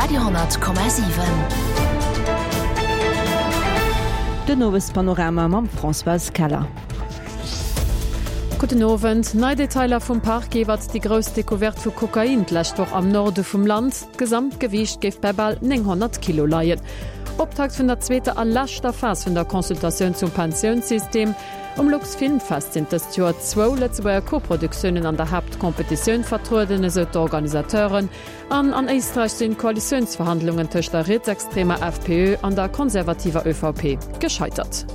Radio 10,7. Den Owespanorama mam Françoise Keller. Gudden Owend. Nei Detailer vum Parquet iwwert déi grouss Decouverte vu Kokain d'lescht Woch am Norde vum Land. D'Gesamtgewiicht géif bei bal 900 Kilo leien. Optakt vun der zweeter a leschter Phas vun der Consultatioun zum Pensiounssystem. Um Luxfilmfest sinn dëst Joer zwou Lëtzebuerger Koproduktiounen an der Haaptkompetitioun vertrueden, esou d'Organisateuren. An an Éisträich sinn d'Koalitiounsverhandlungen tëscht der rietsextremer FPÖ an der konservativer ÖVP gescheitert.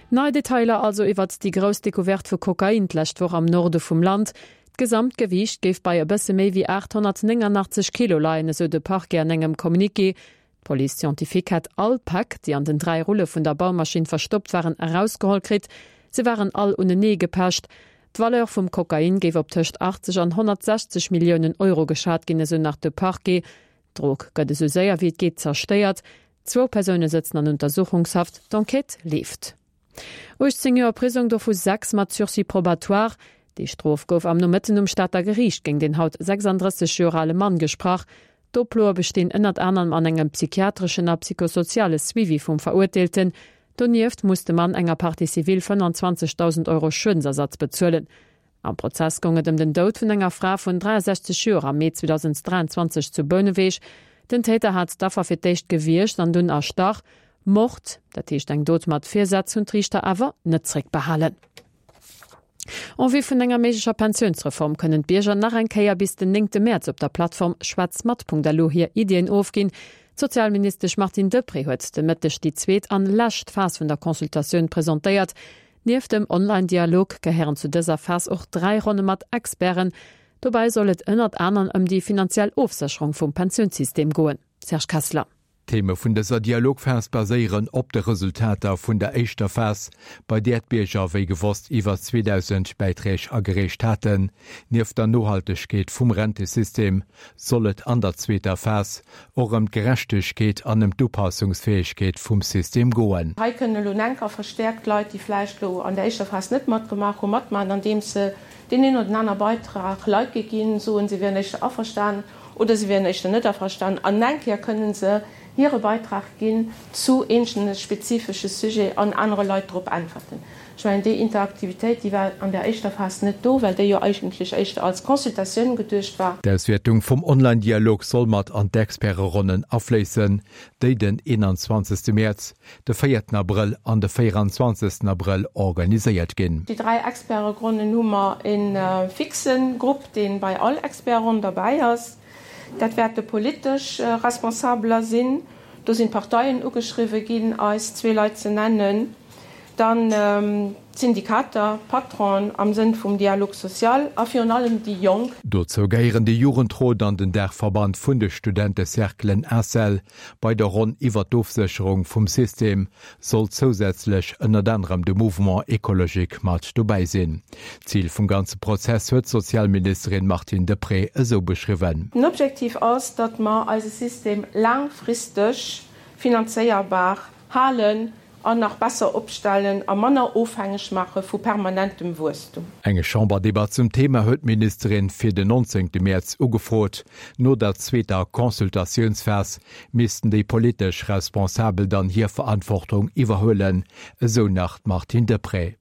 Nei Detailer also iwwert déi grouss Decouverte vu Kokain d'lescht Woch am Norde vum Land. D'Gesamtgewiicht géif bei e bësse méi wéi 889 Kilo leien, esou de Parquet an engem Communiqué. D'Police scientifique hätt all d'Päck, déi an den 3 Rulle vun der Baumaschinn verstoppt waren, erausgeholl kritt. Se waren all unenee gepecht. D'Valeur vum Kokain géif op tëscht 80 an 160 Milliounen Euro geschat ginn, esou nach de Parquet. D'Drog gëtt esou séier wéi et geet zerstéiert. Zwou Persoune sëtzen an Untersuchungshaft, d'Enquête leeft. 18 Joer Prisong, dovu 6 mat Sursis probatoire. Déi Strof gouf am Nomëtten um Stater Geriicht géint een haut 36 Joer ale Mann gesprach. D'Oploe bestinn ënnert anerem an engem psychiatreschen a psychosoziale Suivi vum Verurteelten. Donieft muss de Mann enger Partie civile 25.000 Euro Schuedensersatz bezuelen. Am Prozess goung et ëm den Doud vun enger Fra vun 63 Joer am Mee 2023 zu Bouneweg. Den Täter hat d'Affer fir d'éischt gewiergt an dunn erstach. Mord, dat heescht eng Dot mat Virsaz, hunn d'Riichter awer net zréckbehalen. En vue vun enger méiglecher Pensiounsreform kënnen d'Bierger nach eng Kéier bis den néngte Mäerz op der Plattform schwätzmat.lu hir Iddien ofginn. D'Sozialministesch Martine Deprez huet de Mëtteg déi zweet an lescht Phas vun der Consultatioun presentéiert. Nieft dem Online-Dialog gehéieren zu dëser Phas och 3 Ronne mat Experten. Dobäi soll et ënnert anerem ëm déi finanziell Ofsécherung vum Pensiounssystem goen. Serge Kessler. D'Theme vun dëser Dialogphas baséieren op de Resultater vun der éischter Phas, bei där d'Bierger wéi gewosst iwwer 2.000 Bäiträg agereecht haten. Nieft der Nohaltegkeet vum Rentesystem soll et an der zweeter Phas och ëm d'Gerechtegkeet an ëm d'Upassungsfäegkeet vum System goen. Hei kënnen elo enker verstäerkt Leit, déi vläicht elo an der éischter Phas net matgemaach hunn, matmaachen, andeems se deen een oder den aner Beitrag like ginn, soen, se wieren éischter averstanen oder se wieren éischter net averstanen an eng Kéier kënnen se hire Beitrag ginn zu eenzelne spezifesche Sujet an anere Leit drop äntwerten. Ech mengen, déi Interaktivitéit, déi war an der éischter Phas net do, well déi jo eigentlech éischter als Consultatioun geduecht war. D'Auswäertung vum Online-Dialog soll mat an d'Experteronnen afléissen, déi den 21. Mäerz, de véierten Abrëll an de 24. Abrëll organiséiert ginn. Déi 3 Experteronnen hu mer e fixe Grupp, dee bei all Experteronn derbäi ass. Dat wäerte politesch Responsabeler sinn. Do sinn d'Parteien ugeschriwwe ginn, eis zwee Leit ze nennen. Dann d'Syndikater, d'Patronen am Sënn vum Dialogue social a virun allem déi Jonk. Dozou gehéieren de Jugendrot an den Daachverband vun de Studentecerclen ACEL. Bei der Ronn iwwer d'Ofsécherung vum System soll zousätzlech ënnert anerem de Mouvement Ecologique mat dobäi sinn. D'Zil vum ganze Prozess huet d'Sozialministerin Martine Deprez esou beschriwwen. Den Objektiv ass, datt mer eise System laangfristeg finanzéierbar halen an nach besser opstellen a manner ofhängeg maache vu permanentem Wuesstum. Eng Chamberdebatt zum Thema huet d'Ministerin fir den 19 Mäerz ugefrot. No der zweeter Consultatiounsphas missten déi politesch Responsabel dann hir Verantwortung iwwerhuelen, esou nach d'Martine Deprez.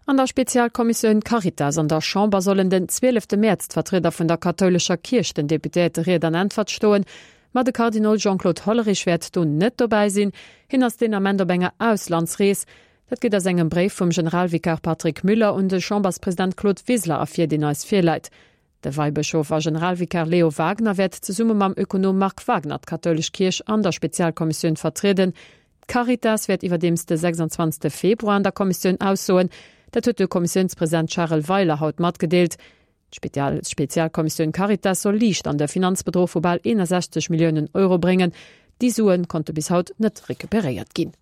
An der Spezialkommissioun Caritas an der Chamber sollen den 12 Mäerz d'Vertrieder vun der kathoulescher Kierch den Deputéierte Ried an Äntwert stoen. Ma de Kardinol Jean-Claude Hollerich wäert do net dobäi sinn. Hien ass deen Ament op enger Auslandsrees. Dat geet aus engem Bréif vum Generalvikar Patrick Müller un de Chamberspresident Claude Wiseler ervir, deen eis virläit. De Weibëschof a Generalvikar Leo Wagener wäert zesumme mam Ökonom Marc Wagner d'kathoulesch Kierch an der Spezialkommissioun vertrieden. D'Caritas wäert iwwerdeems de 26 Februar an der Kommissioun aussoen. Dat huet de Kommissiounspresident Charel Weiler haut matgedeelt. D'Spezialkommissioun Caritas soll Liicht an de Finanzbedruch vu bal 61 Milliounen Euro bréngen. Déi Sue konnte bis haut net recuperéiert ginn.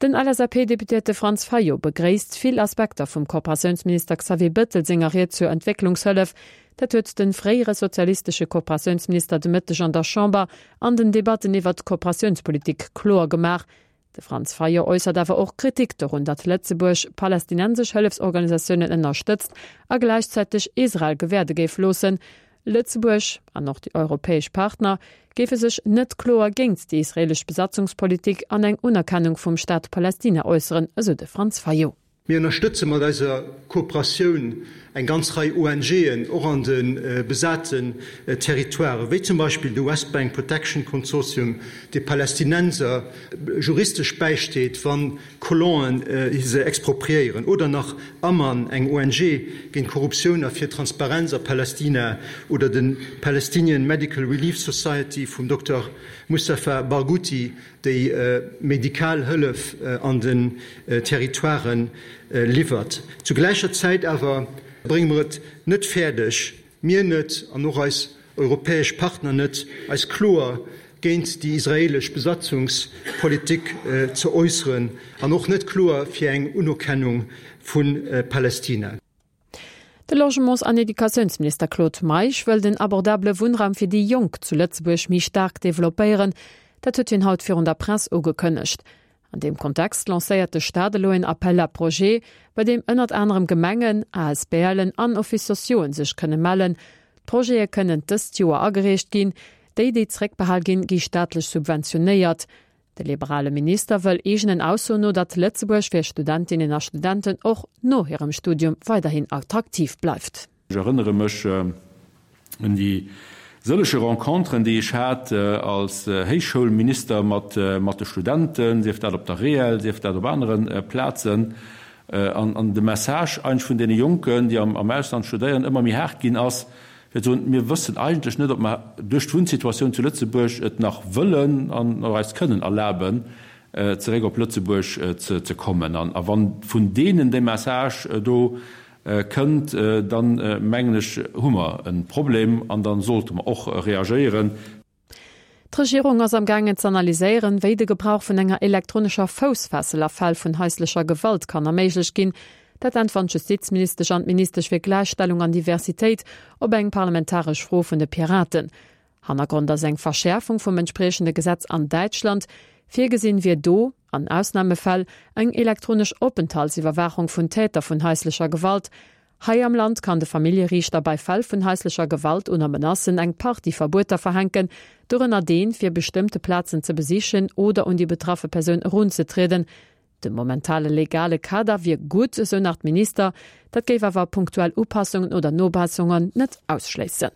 Den LSAP-Deputéierte Franz Fayot begréisst vill Aspekter vum Kooperatiounsminister Xavier Bëttel senger Ried zur Entwécklungshëllef. Dat huet de fréiere sozialistesche Kooperatiounsminister de Mëtteg an der Chamber an den Debatten iwwert d'Kooperatiounspolitik kloer gemaach. De Franz Fayot äussert awer och Kritik dorun, datt Lëtzebuerg palästinensesch Hëllefsorganisatiounen ënnerstëtzt a gläichzäiteg Israel gewäerde géif loossen. Lëtzebuerg, an och déi europäesch Partner, géife sech net kloer géint déi israeelesch Besatzungspolitik an eng Unerkennung vum Staat Palästina äusseren, esou de Franz Fayot. Mir ënnerstëtze mat eiser Kooperatioun eng ganz Rei ONGen, och an de besaten Territoiren, wéi zum Beispill de West Bank Protection Consortium, dee Palästinenser juristesch bäisteet, wann Colonen se expropriéieren, oder nach Aman, eng ONG géint Korruptioun a fir Transparenz a Palästina, oder de Palestinian Medical Relief Society vum Dokter Mustafa Barghouti, déi medikal Hëllef an den Territoiren liwwert. Zu gläicher Zäit awer brénge mer et net fäerdeg, mir net an och eis europäesch Partner net, eis kloer géint déi israeelesch Besatzungspolitik ze äusseren an och net kloer fir eng Unerkennung vu Palästina. De Logements an Educatiounsminister Claude Meisch wëll den abordabele Wunnraum fir déi Jonk zu Lëtzebuerg méi staark developpéieren. Dat huet hien haut virun der Press ugekënnegt. An deem Kontext lancéiert de Staat elo een Appel à projets, bei deem ënnert anerem Gemengen, ASBLen an Offices sociauxen sech kënne mellen. D'Projete kënnen dëst Joer agereecht ginn. Déi, déi zeréckbehal ginn, gi staatlech subventionéiert. De liberale Minister wëll eegenen Aussoen no, datt Lëtzebuerg fir Studentinnen a Studenten och no hirem Studium weiderhin attraktiv bleift. Ech erënnere mech un déi sëllege Renconteren, déi ech hat als Héichschoulminister mat de Studenten, sief dat op der REEL, sief dat op anere Plazen, an de Message eigentlech vun deene Jonken, déi am Ausland studéieren, ëmmer méi haart ginn ass, fir ze soen, Mir wëssen eigentlech net, ob mer duerch d'Wunnsituatioun zu Lëtzebuerg et nach wëllen an och eis kënnen erlaben, zeréck op Lëtzebuerg ze kommen. A wann vun deenen dee Message do kënnt, dann, mengen ech, hu mer e Problem an da sollte mer och reagéieren. D'Regierung ass am gaangen z'analyséieren, wéi de Gebrauch vun enger elektronescher Foussfessel a Fäll vun haislecher Gewalt kann erméiglecht ginn. Dat äntweren d'Justizministesch an d'Ministesch fir Gläichstellung an Diversitéit op eng parlamentaresch Fro vun de Piraten. Hannergrond ass eng Verschäerfung vum entspriechende Gesetz an Däitschland. Virgesinn wier do, an Ausnamefäll, eng elektronesch Openthaltsiwwerwaachung vun Täter vun haislecher Gewalt. Hei am Land kann de Familljeriichter bei Fäll vun haislecher Gewalt oder Menacen eng Partie Verbueter verhänken, dorënner deen, fir bestëmmte Plazen ze besichen oder un déi betraffe Persoun erunzetrieden. De momentale legale Kader wier gutt, esou nach d'Minister, dat géif awer punktuell Upassungen oder Nobesserungen net ausschléissen.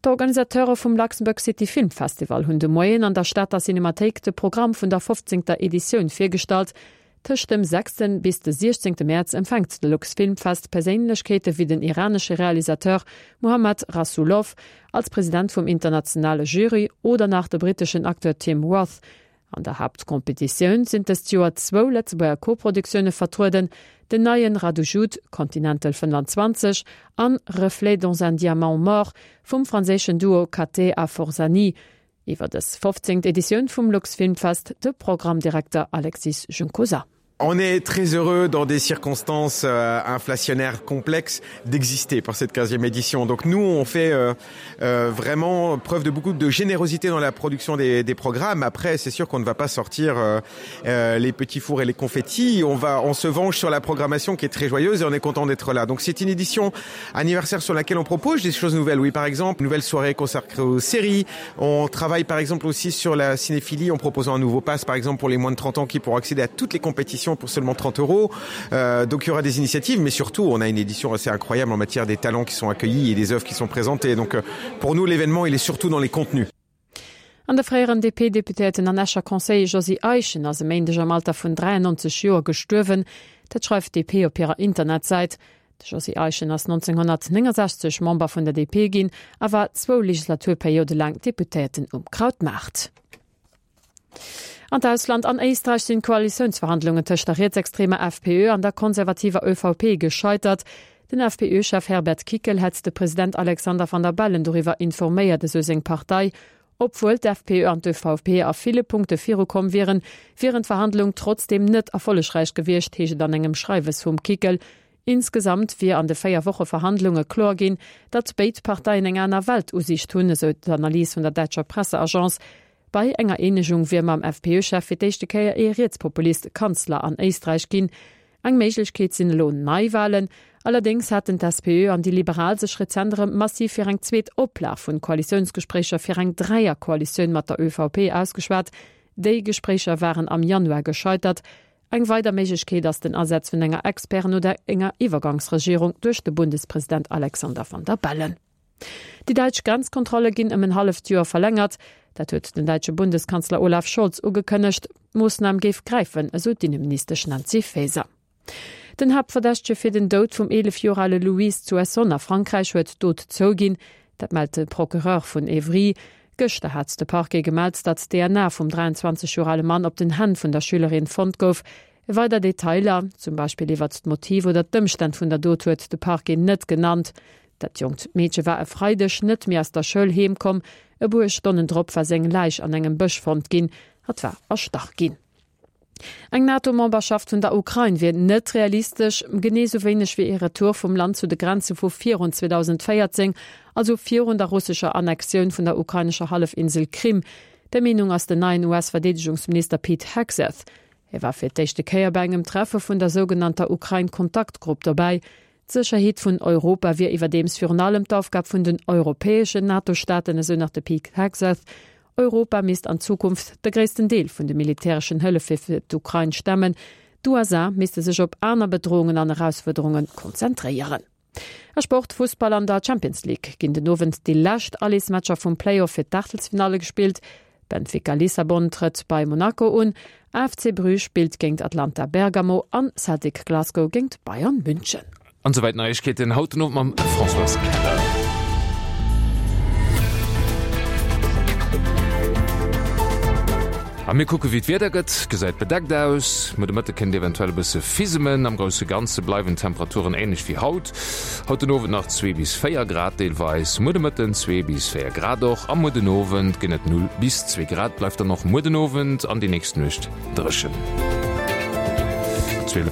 D'Organisateure vum Luxembourg City Film Festival hunn de Moien an der Stater Cinemathéik de Programm vun der fofzéngter Editioun virgestallt. Tëscht dem sechsten bis de siechzéngte Mäerz empfänkt de Luxfilmfest Perséinlechkeete wéi den iranesche Realisateur Mohammad Rasoulof als President vum internationale Jury oder nach de britteschen Acteur Tim Roth. An der Haaptkompetitioun sinn dëst Joer zwou Lëtzebuerger Koproduktioune vertrueden, den neien Radu Jude, Continental 25, an Reflets dans un diamant mort vum franséischen Duo Cattet a Forzani. Iwwer dës 15. Editioun vum Luxfilmfest de Programmdirekter Alexis Juncosa. On est très heureux dans des circonstances euh, inflationnaires complexes d'exister par cette 15e édition. Donc nous, on fait euh, euh, vraiment preuve de beaucoup de générosité dans la production des, des programmes. Après, c'est sûr qu'on ne va pas sortir euh, euh, les petits fours et les confettis. On, va, on se venge sur la programmation qui est très joyeuse et on est content d'être là. Donc c'est une édition anniversaire sur laquelle on propose des choses nouvelles. Oui, par exemple, nouvelle soirée consacrée aux séries. On travaille par exemple aussi sur la cinéphilie en proposant un nouveau pass, par exemple pour les moins de 30 ans qui pourront accéder à toutes les compétitions pour seulement 30 euros. Euh, donc il y aura des initiatives, mais surtout on a une édition assez incroyable en matière des talents qui sont accueillis et des œuvres qui sont présentées. Donc euh, pour nous l'événement il est surtout dans les contenus. An de fréieren DP-Deputéierten an Escher Conseiller Josy Eischen ass e Méindeg am Alter vun 93 Joer gestuerwen. Dat schreift d'DP op hirer Internetsäit. De Josy Eischen ass 1969 Member vun der DP ginn a war zwou Legislaturperiode laang Deputéierten um Krautmaart. An d'Ausland, An Éisträich sinn d'Koalitiounsverhandlungen tëscht der rietsextremer FPÖ an der konservativer ÖVP gescheitert. Den FPÖ-Chef Herbert Kickl hätt de President Alexander Van der Bellen doriwwer informéiert, esou seng Partei. Obwuel d'FPÖ an d'ÖVP a ville Punkte virukomm wieren, wieren d'Verhandlung trotzdeem net erfollegräich gewiescht, heescht et an engem Schreiwes vum Kickl. Insgesamt wier an de 4 Woche Verhandlunge kloer ginn, datt béid Parteien eng aner Weltusiicht hunn, esou d'Analys vun der däitscher Presseagence. Bei enger Eenegung wier mam FPÖ-Chef fir d'éischte Kéier ee Rietspopulist Kanzler an Éisträich ginn. Eng Méiglechkeet sinn elo Neiwalen. Allerdéngs haten d'SPÖ an déi Liberal sech rezent erëm massiv fir eng zweet Oplag vun Koalitiounsgespréicher fir eng Dräierkoalitioun mat der ÖVP ausgeschwat. Déi Gespréicher waren am Januar gescheitert. Eng weider Méiglechkeet ass den Asaz vun enger Experten oder enger Iwwergangsregierung duerch de Bundespresident Alexander Van der Bellen. Déi däitsch Grenzkontrolle ginn ëm en halleft Joer verlängert. Dat huet den däitsche Bundeskanzler Olaf Scholz ugekënnegt. D'Moossnam géif gräifen, esou d'Inneministesch Nancy Faeser. Den Haaptverdächtege fir den Doud vum 11 Joer ale Louis zu Essonne a Frankräich huet d'Dot zouginn. Dat mellt de Procureur vun Évry. Gëschter hat de Parquet gemellt, datt d'DNA vum 23 Joer ale Mann op den Hänn vun der Schülerin fonnt gouf. Weider Detailer, zum Beispill iwwert d'Motiv oder d'Ëmstänn vun der Dot huet de Parquet net genannt. Dat jonkt Meedche war e Freideg net méi aus der Schoul heem komm. E puer Stonnen drop war seng Läich an engem Bësch fonnt ginn. Hatt war erstach ginn. Eng NATO-Memberschaft vun der Ukrain wier net realistesch, genee sou wéineg wéi ee Retour vum Land zu de Grenze vu virun 2014, also virun der russescher Annexioun vun der ukrainescher Hallefinsel Krim. Där Meenung ass den neien US-Verdeedegungsminister Pete Hegseth. Hie war fir d'éischte Kéier bei engem Treffe vun der sougenannter Ukrain-Kontaktgrupp dobäi. D'Sécherheet vun Europa wier iwwerdeems virun allem d'Aufgab vun den europäeschen NATO-Staaten, esou nach de Pete Hegseth. Europa misst an Zukunft de gréissten Deel vun de militäreschen Hëllefe fir d'Ukrain stemmen. D'USA misste sech op aner Bedroungen an Erausfuerderunge konzentréieren. A Sport, Fussball, An der Champions League ginn den Owend déi lescht Allesmatcher vum Play-Off fir d'Aachtelsfinalle gespillt. Benfica Lissabon trëtt bei Monaco un, AFC Bruges spillt géint Atlanta Bergamo an Celtic Glasgow géint Bayern München. An souwäit d'Neiegkeeten haut den Owend mam Françoise Keller. A mir kucke wéi d'Wieder gëtt. Gesäit bedeckt aus, muer de Mëtte kënnt eventuell e bësse fisemen. Am grousse Ganze bleiwen d'Temperaturen änlech wéi haut. Haut den Owend nach 2 bis 4 Grad deelweis, muer de Mëtten 2 bis 4 Grad och a muer den Owend ginn et 0 bis 2 Grad. Bleift dann och muer den Owend an déi nächst Nuecht dréchen. 12.